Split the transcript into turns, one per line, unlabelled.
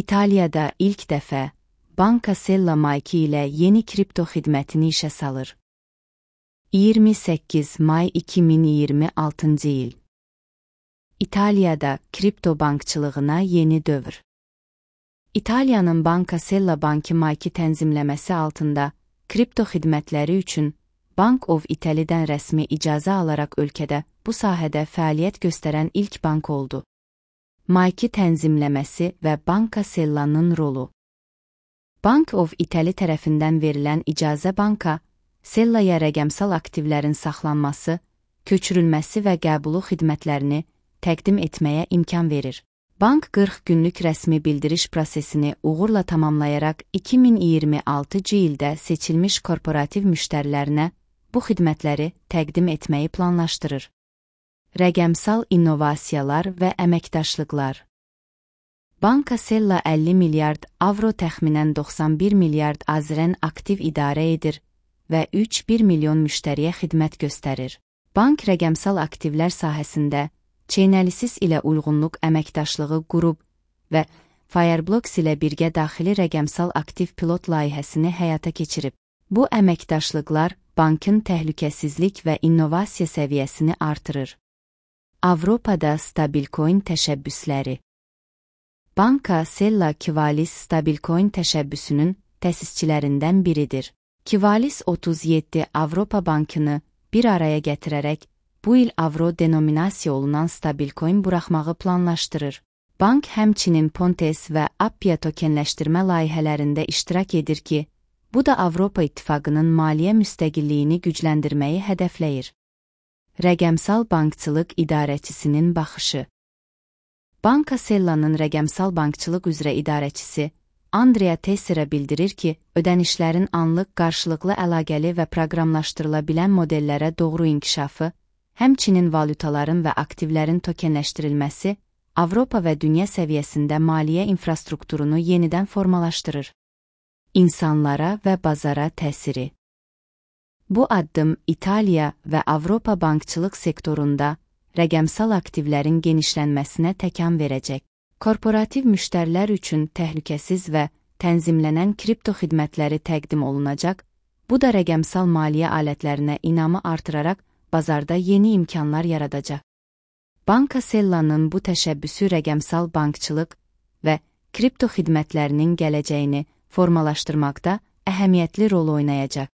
İtaliyada ilk dəfə Banca Sella Maiki ilə yeni kripto xidmətini işə salır. 28 may 2026 il. İtaliyada kripto bankçılığına yeni dövr. İtaliyanın Banca Sella Banki Maiki tənzimləməsi altında kripto xidmətləri üçün Bank of Italy'dən rəsmi icazə alaraq ölkədə bu sahədə fəaliyyət göstərən ilk bank oldu. Maiki tənzimləməsi və Banca Sella'nın rolu. Bank of Italy tərəfindən verilən icazə Banca Sella'ya rəqəmsal aktivlərin saxlanması, köçürülməsi və qəbulu xidmətlərini təqdim etməyə imkan verir. Bank 40 günlük rəsmi bildiriş prosesini uğurla tamamlayaraq 2026 ildə seçilmiş korporativ müştərilərinə bu xidmətləri təqdim etməyi planlaşdırır. Rəqəmsal innovasiyalar və əməkdaşlıqlar. Banca Sella 50 milyard avro təxminən 91 milyard azrən aktiv idarə edir və 3,1 milyon müştəriyə xidmət göstərir. Bank rəqəmsal aktivlər sahəsində Chainalysis ilə uyğunluq əməkdaşlığı qurub və Fireblocks ilə birgə daxili rəqəmsal aktiv pilot layihəsini həyata keçirib. Bu əməkdaşlıqlar bankın təhlükəsizlik və innovasiya səviyyəsini artırır. Avropada stablecoin təşəbbüsləri. Banca Sella Kivalis stablecoin təşəbbüsünün təsisçilərindən biridir. Kivalis 37 Avropa bankını bir araya gətirərək bu il avro denominasiya olunan stablecoin buraxmağı planlaşdırır. Bank həmçinin Pontes və Appia tokenləşdirmə layihələrində iştirak edir ki, bu da Avropa İttifaqının maliyyə müstəqilliyini gücləndirməyi hədəfləyir. Rəqəmsal bankçılıq idarəçisinin baxışı. Banca Sella'nın rəqəmsal bankçılıq üzrə idarəçisi Andrea Teixeira bildirir ki, ödənişlərin anlıq, qarşılıqlı əlaqəli və proqramlaşdırıla bilən modellərə doğru inkişafı, həmçinin valyutaların və aktivlərin tokenləşdirilməsi Avropa və dünya səviyyəsində maliyyə infrastrukturunu yenidən formalaşdırır. İnsanlara və bazara təsiri. Bu addım İtaliya və Avropa bankçılıq sektorunda rəqəmsal aktivlərin genişlənməsinə təkan verəcək. Korporativ müştərilər üçün təhlükəsiz və tənzimlənən kripto xidmətləri təqdim olunacaq, bu da rəqəmsal maliyyə alətlərinə inamı artıraraq bazarda yeni imkanlar yaradacaq. Banca Sella'nın bu təşəbbüsü rəqəmsal bankçılıq və kripto xidmətlərinin gələcəyini formalaşdırmaqda əhəmiyyətli rol oynayacaq.